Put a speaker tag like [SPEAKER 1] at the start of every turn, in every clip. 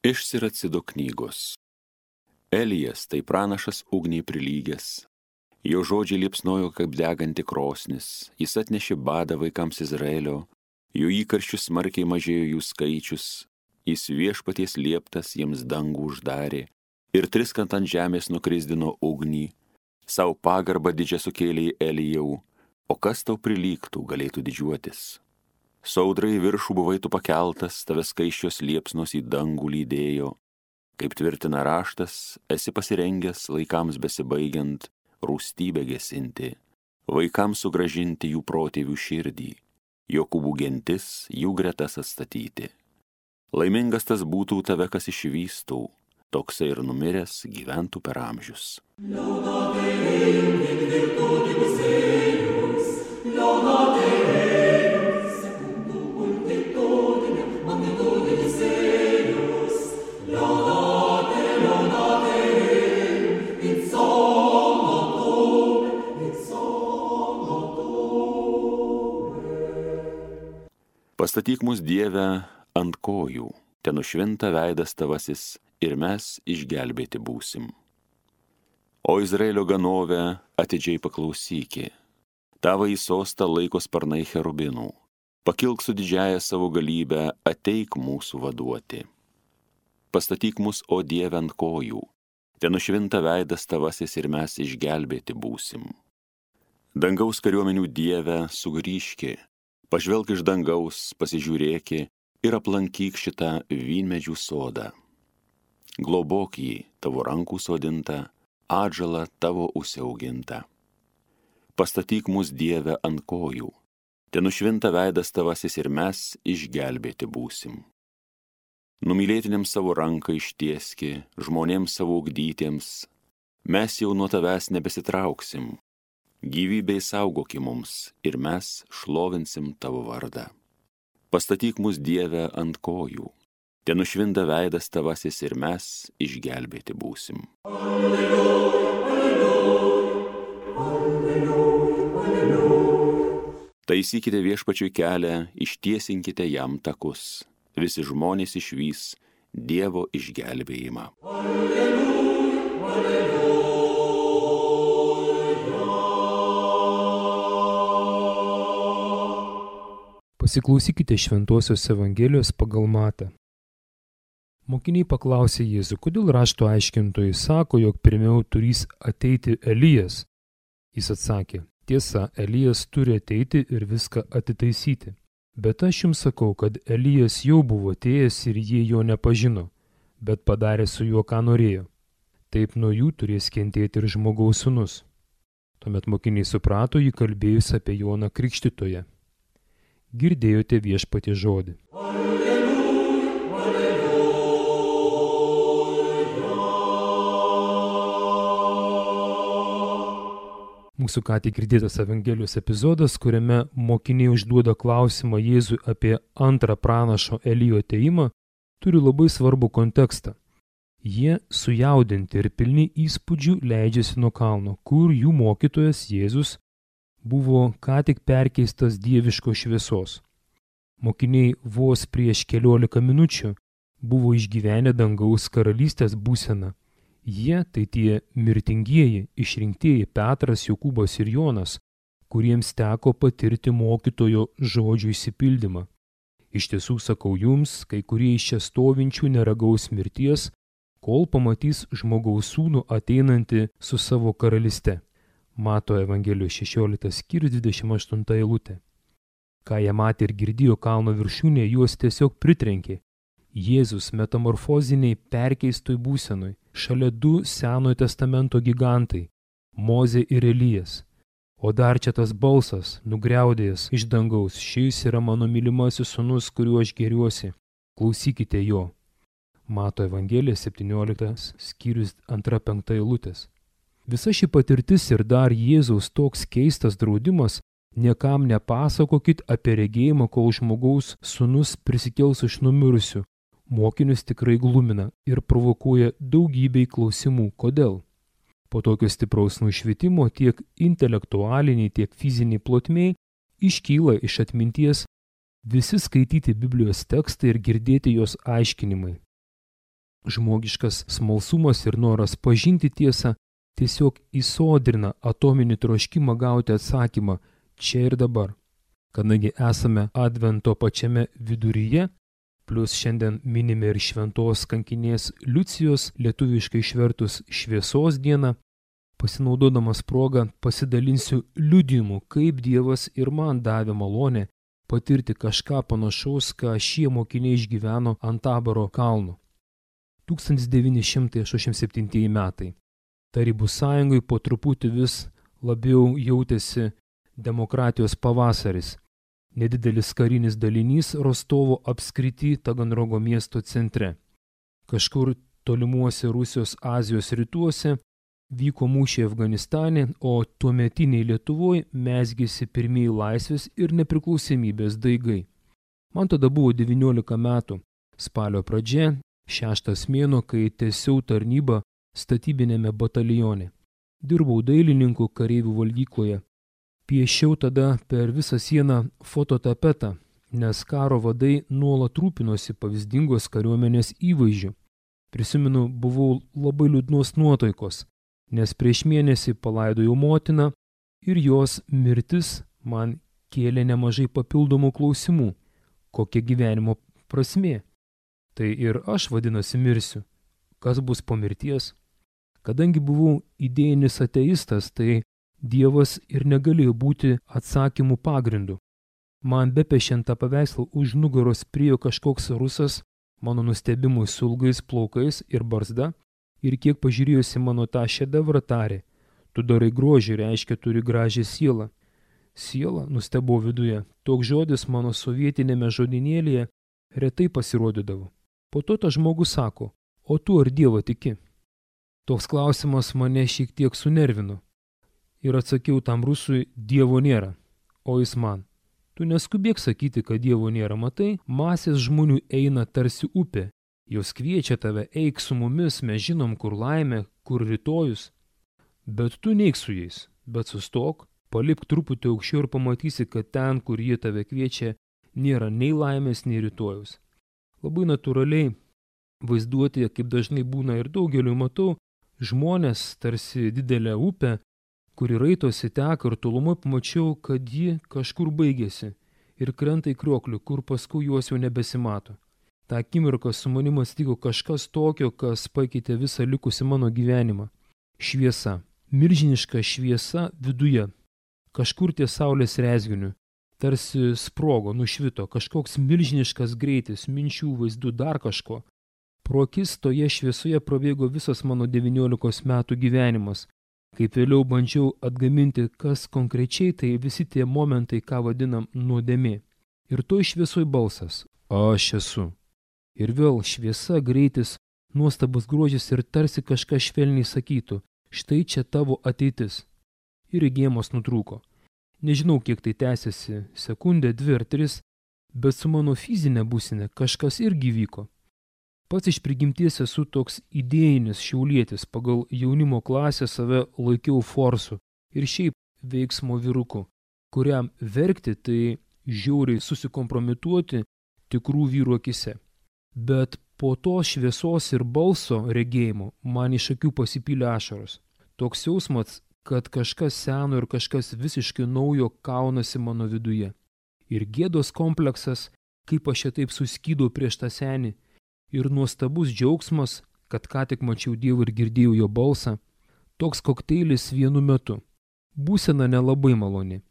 [SPEAKER 1] Iš Siracido knygos. Elijas tai pranašas ugniai prilygęs. Jo žodžiai liepsnojo kaip deganti krosnis. Jis atnešė badą vaikams Izraelio. Jo įkarščių smarkiai mažėjo jų skaičius. Jis viešpaties lieptas jiems dangų uždarė. Ir triskant ant žemės nukrisdino ugnį. Sau pagarbą didžią sukėlė Elijau. O kas tau prilygtų, galėtų didžiuotis? Saudrai viršų buvai tu pakeltas, tave skaisčios liepsnos į dangų lydėjo. Kaip tvirtina raštas, esi pasirengęs laikams besibaigiant rūstybę gesinti, vaikams sugrąžinti jų protėvių širdį, Jokūbų gentis jų gretas atstatyti. Laimingas tas būtų tave, kas išvystų, toksai ir numiręs gyventų per amžius. Pastatyk mus, Dieve, ant kojų, ten nušvinta veidas tavasis ir mes išgelbėti būsim. O Izraelio ganove atidžiai paklausyki, tavo į sostą laiko sparnai cherubinų, pakilk su didžiaja savo galybę, ateik mūsų vaduoti. Pastatyk mus, o Dieve, ant kojų, ten nušvinta veidas tavasis ir mes išgelbėti būsim. Dangaus kariuomenių Dieve, sugrįžki, pažvelk iš dangaus, pasižiūrėki ir aplankyk šitą vynmedžių sodą. Globok jį, tavo rankų sodintą, atžalą tavo užsiaugintą. Pastatyk mus, Dieve, ant kojų, ten nušvinta veidas tavasis ir mes išgelbėti būsim. Numylėtiniams savo ranką ištieski, žmonėms savo ugdytiems, mes jau nuo tavęs nebesitrauksim. Gyvybei saugoki mums ir mes šlovinsim tavo vardą. Pastatyk mus, Dieve, ant kojų, ten nušvinta veidas tavasis ir mes išgelbėti būsim. Alleluja, alleluja, alleluja, alleluja. Taisykite viešpačiui kelią, ištiesinkite jam takus, visi žmonės išvys Dievo išgelbėjimą. Alleluja, alleluja.
[SPEAKER 2] Pasiklausykite Šventosios Evangelijos pagal Matą. Mokiniai paklausė Jėzų, kodėl rašto aiškintojai sako, jog pirmiau turys ateiti Elijas. Jis atsakė, tiesa, Elijas turi ateiti ir viską atitaisyti. Bet aš jums sakau, kad Elijas jau buvo atėjęs ir jie jo nepažino, bet padarė su juo, ką norėjo. Taip nuo jų turės kentėti ir žmogaus sūnus. Tuomet mokiniai suprato jį kalbėjus apie Joną Krikštytoją. Girdėjote viešpaties žodį.
[SPEAKER 3] Alleluja, alleluja.
[SPEAKER 2] Mūsų ką tik girdėtas Evangelijos epizodas, kuriame mokiniai užduoda klausimą Jėzui apie antrą pranašo Elijo atėjimą, turi labai svarbų kontekstą. Jie sujaudinti ir pilni įspūdžių leidžiasi nuo kalno, kur jų mokytojas Jėzus buvo ką tik perkeistas dieviškos šviesos. Mokiniai vos prieš 14 minučių buvo išgyvenę dangaus karalystės būseną. Jie tai tie mirtingieji, išrinktieji Petras, Jokūbas ir Jonas, kuriems teko patirti mokytojo žodžių išsipildymą. Iš tiesų sakau jums, kai kurie iš čia stovinčių neragaus mirties, kol pamatys žmogaus sūnų ateinantį su savo karalyste. Mato Evangelijos 16 skyrius 28 eilutė. Ką jie matė ir girdėjo kalno viršūnėje, juos tiesiog pritrenkė. Jėzus metamorfoziniai perkeistoj būsenoj, šalia du Senojo testamento gigantai – Mozė ir Elijas. O dar čia tas balsas, nugriaudėjęs iš dangaus, šis yra mano mylimasis sūnus, kuriuo aš gėriuosi, klausykite jo. Mato Evangelija 17 skyrius 2-5 eilutės. Visa ši patirtis ir dar Jėzaus toks keistas draudimas niekam nepasakokit apie regėjimą, kol žmogaus sūnus prisikels iš numirusių. Mokinius tikrai glumina ir provokuoja daugybei klausimų. Kodėl? Po tokio stipraus nušvitimo tiek intelektualiniai, tiek fiziniai plotmėj iškyla iš atminties visi skaityti Biblijos tekstai ir girdėti jos aiškinimai. Žmogiškas smalsumas ir noras pažinti tiesą tiesiog įsodrina atominį troškimą gauti atsakymą čia ir dabar. Kadangi esame advento pačiame viduryje, plus šiandien minime ir šventos kankinės Liucijos, lietuviškai išvertus šviesos dieną, pasinaudodamas progą pasidalinsiu liudijimu, kaip Dievas ir man davė malonę patirti kažką panašaus, ką šie mokiniai išgyveno ant Taboro kalno. 1987 metai. Tarybų sąjungai po truputį vis labiau jautėsi demokratijos pavasaris. Nedidelis karinis dalinys Rostovo apskrity Taganrogo miesto centre. Kažkur tolimuose Rusijos Azijos rytuose vyko mūšiai Afganistane, o tuometiniai Lietuvoje mezgėsi pirmieji laisvės ir nepriklausomybės daigai. Man tada buvo 19 metų, spalio pradžia, 6 mėnuo, kai tęsiau tarnybą statybinėme batalione. Dirbau dailininku kareivių valgykloje. Piešiau tada per visą sieną fototapetą, nes karo vadai nuolat rūpinosi pavyzdingos kariuomenės įvaizdžiu. Prisimenu, buvau labai liūdnos nuotaikos, nes prieš mėnesį palaidojau motiną ir jos mirtis man kėlė nemažai papildomų klausimų. Kokia gyvenimo prasmė? Tai ir aš vadinasi mirsiu. Kas bus po mirties? Kadangi buvau idėjinis ateistas, tai Dievas ir negalėjo būti atsakymų pagrindu. Man bepešiant tą paveikslą už nugaros priėjo kažkoks rusas, mano nustebimui su ilgais plaukais ir barzda, ir kiek pažiūrėjusi mano tą šedevrą tarė: tu darai grožį, reiškia turi gražią sielą. Siela, nustebau viduje, toks žodis mano sovietinėme žodinėlyje retai pasirodydavo. Po to tas žmogus sako: o tu ar Dievą tiki? Toks klausimas mane šiek tiek sunervino. Ir atsakiau tam rusui: Dievo nėra. O jis man: tu neskubėk sakyti, kad Dievo nėra, matai, masės žmonių eina tarsi upė. Jos kviečia tave, eik su mumis, mes žinom, kur laimė, kur rytojus. Bet tu neik su jais, bet sustok, palipk truputį aukščiau ir pamatysi, kad ten, kur jie tave kviečia, nėra nei laimės, nei rytojus. Labai natūraliai vaizduotėje, kaip dažnai būna ir daugeliu matau, žmonės tarsi didelę upę, kuri raitosi teka ir tolumai pamačiau, kad ji kažkur baigėsi ir krenta į krioklį, kur paskui juos jau nebesimato. Ta akimirka su manim atsitiko kažkas tokio, kas pakeitė visą likusį mano gyvenimą. Šviesa. Milžiniška šviesa viduje. Kažkur ties saulės rezginiu. Tarsi sprogo, nušvito, kažkoks milžiniškas greitis, minčių, vaizdų, dar kažko. Pro akis toje šviesoje prabėgo visas mano 19 metų gyvenimas. Kaip vėliau bandžiau atgaminti, kas konkrečiai, tai visi tie momentai, ką vadinam nuodėmė. Ir toj šviesoj balsas: aš esu. Ir vėl šviesa, greitis, nuostabus grožis ir tarsi kažkas švelniai sakytų: štai čia tavo ateitis. Ir regėjimas nutrūko. Nežinau, kiek tai tęsiasi, sekundę, 2 ar 3, bet su mano fizinė būsene kažkas irgi vyko. Pats iš prigimties esu toks idėjinis šiaulietis, pagal jaunimo klasę save laikiau forsu ir šiaip veiksmo vyruku, kuriam verkti tai žiauriai susikompromituoti tikrų vyrų akise. Bet po to šviesos ir balso regėjimo man iš akių pasipylė ašaros. Toks jausmas, kad kažkas seno ir kažkas visiškai naujo kaunasi mano viduje. Ir gėdos kompleksas, kaip aš čia taip suskydau prieš tą senį, ir nuostabus džiaugsmas, kad ką tik mačiau Dievą ir girdėjau jo balsą, toks kokteilis vienu metu. Būsena nelabai maloni,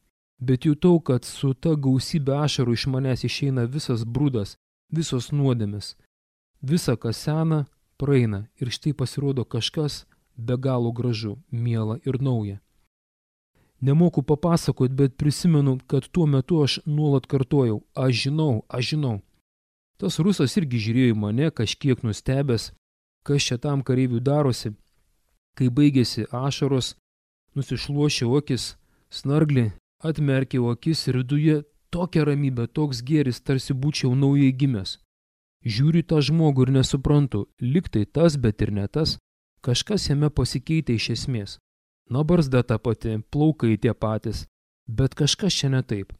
[SPEAKER 2] bet jutau, kad su ta gausybė ašarų iš manęs išeina visas brudas, visos nuodėmės. Visa, kas sena, praeina ir štai pasirodo kažkas be galo gražu, miela ir nauja. Nemoku papasakoti, bet prisimenu, kad tuo metu aš nuolat kartojau: aš žinau. Tas rusas irgi žiūrėjo į mane, kažkiek nustebęs, kas čia tam kareiviui darosi. Kai baigėsi ašaros, nusišluošiau akis, snarglį, atmerkiau akis ir viduje tokia ramybė, toks gėris, tarsi būčiau naujai gimęs. Žiūriu tą žmogų ir nesuprantu, lyg tai tas, bet ir ne tas, kažkas jame pasikeitė iš esmės. Na, barzda ta pati, plaukai tie patys, bet kažkas čia ne taip.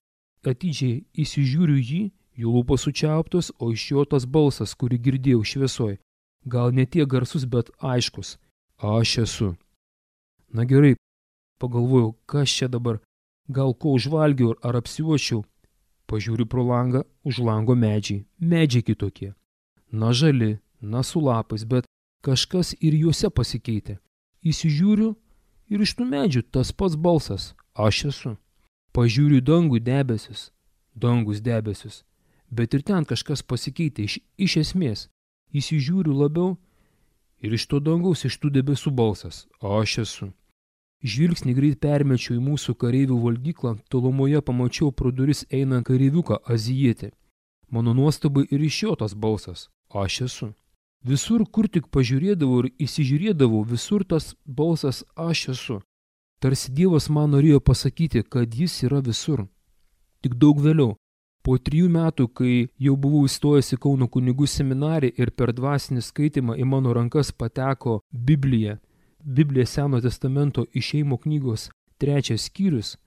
[SPEAKER 2] Atidžiai įsižiūriu jį, jų lūpos sučiauptos, o iš jo tas balsas, kurį girdėjau šviesoj. gal ne tiek garsus, bet aiškus. Aš esu. Na gerai, pagalvojau, kas čia dabar, gal ko užvalgiau ar apsiuošiau. Pažiūriu pro langą, už lango medžiai. Medžiai kitokie. Na žali, na su lapais, bet kažkas ir juose pasikeitė. Įsižiūriu ir iš tų medžių tas pats balsas. Aš esu. Pažiūriu dangų debesis. Dangus debesis. Bet ir ten kažkas pasikeitė iš esmės. Įsižiūriu labiau ir iš to dangaus, iš tų debesų balsas. Aš esu. Žvilgsnį greit permečiau į mūsų kareivių valgyklą, tolumoje pamačiau pro duris einant kareiviuką azijietį. Mano nuostabai ir iš jo tas balsas. Aš esu. Visur, kur tik pažiūrėdavau ir įsižiūrėdavau, visur tas balsas aš esu. Tarsi Dievas man norėjo pasakyti, kad jis yra visur. Tik daug vėliau, po 3 metų, kai jau buvau įstojęs į Kauno kunigų seminariją ir per dvasinį skaitymą į mano rankas pateko Biblija Seno testamento Išėjimo knygos 3 skyrius,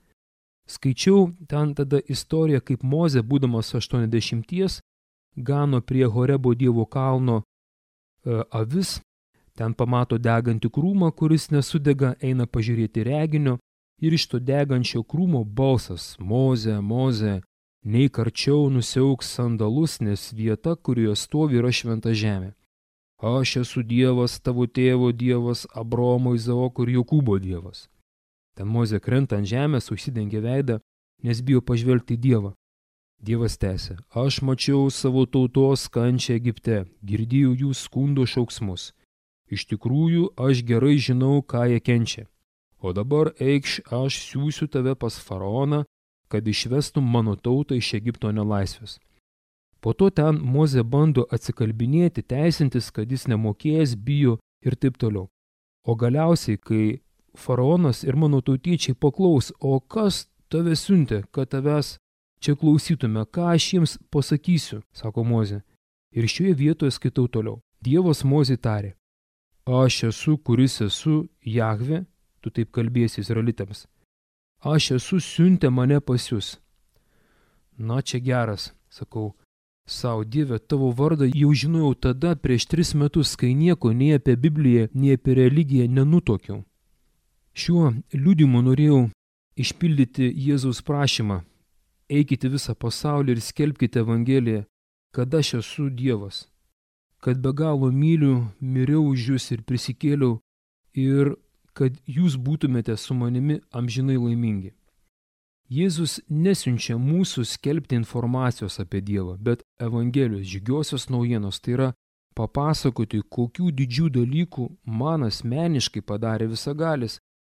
[SPEAKER 2] skaičiau ten tada istoriją, kaip Mozė, būdamas 80, gano prie Horebo Dievo kalno avis, ten pamato degantį krūmą, kuris nesudega, eina pažiūrėti reginio ir iš to degančio krūmo balsas: Mozė, Mozė, neik arčiau, nusiauk sandalus, nes vieta, kurioje stovi, yra šventa žemė. Aš esu Dievas, tavo tėvo Dievas, Abraomo, Izaoko ir Jokūbo Dievas. Ten Mozė krenta ant žemės, užsidengia veidą, nes bijo pažvelgti į Dievą. Dievas tęsė: aš mačiau savo tautos kančią Egipte, girdėjau jų skundo šauksmus. Iš tikrųjų, aš gerai žinau, ką jie kenčia. O dabar eikš, aš siųsiu tave pas faraoną, kad išvestum mano tautą iš Egipto nelaisvės. Po to ten Mozė bando atsikalbinėti, teisintis, kad jis nemokėjęs, bijo ir taip toliau. O galiausiai, kai faraonas ir mano tautiečiai paklaus, o kas tave siuntė, kad tavęs čia klausytume, ką aš jiems pasakysiu, sako Mozė. Ir šioje vietoje skaitau toliau. Dievas Mozei tarė: aš esu, kuris esu, Jahvė, tu taip kalbėsi izraelitams. Aš esu, siuntė mane pas jūs. Na, čia geras, sakau. Sau, Dieve, tavo vardą jau žinojau tada prieš 3 metus, kai nieko nei apie Bibliją, nei apie religiją nenutuokiau. Šiuo liudijimu norėjau išpildyti Jėzaus prašymą: eikite visą pasaulį ir skelbkite Evangeliją, kad aš esu Dievas, kad be galo myliu, miriau už jūs ir prisikėliau ir kad jūs būtumėte su manimi amžinai laimingi. Jėzus nesiunčia mūsų skelbti informacijos apie Dievą, bet Evangelijos džiugiosios naujienos, tai yra papasakoti, kokių didžių dalykų man asmeniškai padarė visagalis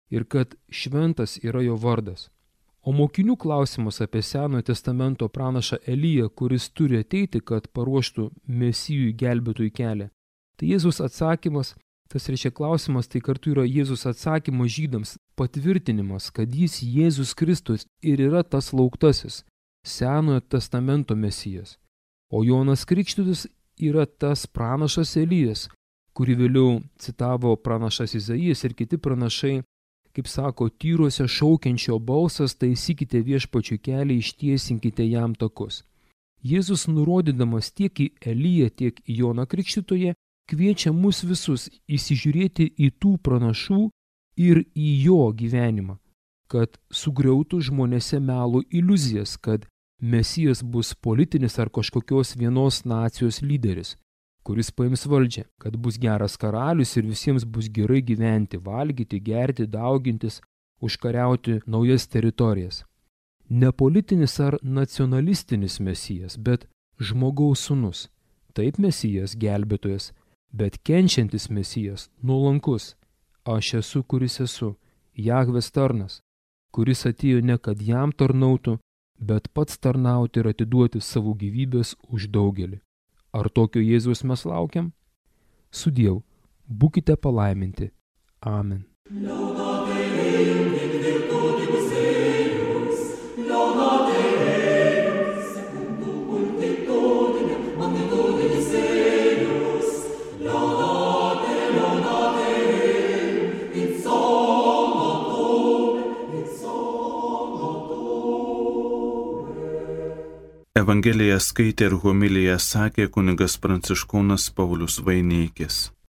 [SPEAKER 2] ir kad šventas yra jo vardas. O mokinių klausimas apie Senojo testamento pranašą Eliją, kuris turi ateiti, kad paruoštų Mesijui gelbėtojų kelią. Tai Jėzus atsakymas, tas reiškia klausimas, tai kartu yra Jėzus atsakymas žydams, patvirtinimas, kad jis Jėzus Kristus ir yra tas lauktasis, Senojo testamento Mesijas. O Jonas Krikštytojas yra tas pranašas Elijas, kurį vėliau citavo pranašas Izaijas ir kiti pranašai, kaip sako, tyruose šaukiančio balsas, taisykite viešpačių kelią, ištiesinkite jam takus. Jėzus, nurodydamas tiek į Eliją, tiek į Joną Krikštytoją, kviečia mus visus įsižiūrėti į tų pranašų ir į jo gyvenimą, kad sugriautų žmonėse melo iliuzijas, kad Mesijas bus politinis ar kažkokios vienos nacijos lyderis, kuris paims valdžią, kad bus geras karalius ir visiems bus gerai gyventi, valgyti, gerti, daugintis, užkariauti naujas teritorijas. Ne politinis ar nacionalistinis Mesijas, bet žmogaus sūnus. Taip Mesijas gelbėtojas, bet kenčiantis Mesijas, nuolankus. Aš esu, kuris esu, Jahvės tarnas, kuris atėjo ne kad jam tarnautų, bet pats tarnauti ir atiduoti savo gyvybės už daugelį. Ar tokio Jėzaus mes laukiam? Sudiev, būkite palaiminti. Amen.
[SPEAKER 4] Evangeliją skaitė ir homiliją sakė kunigas Pranciškonas Paulius Vaineikis.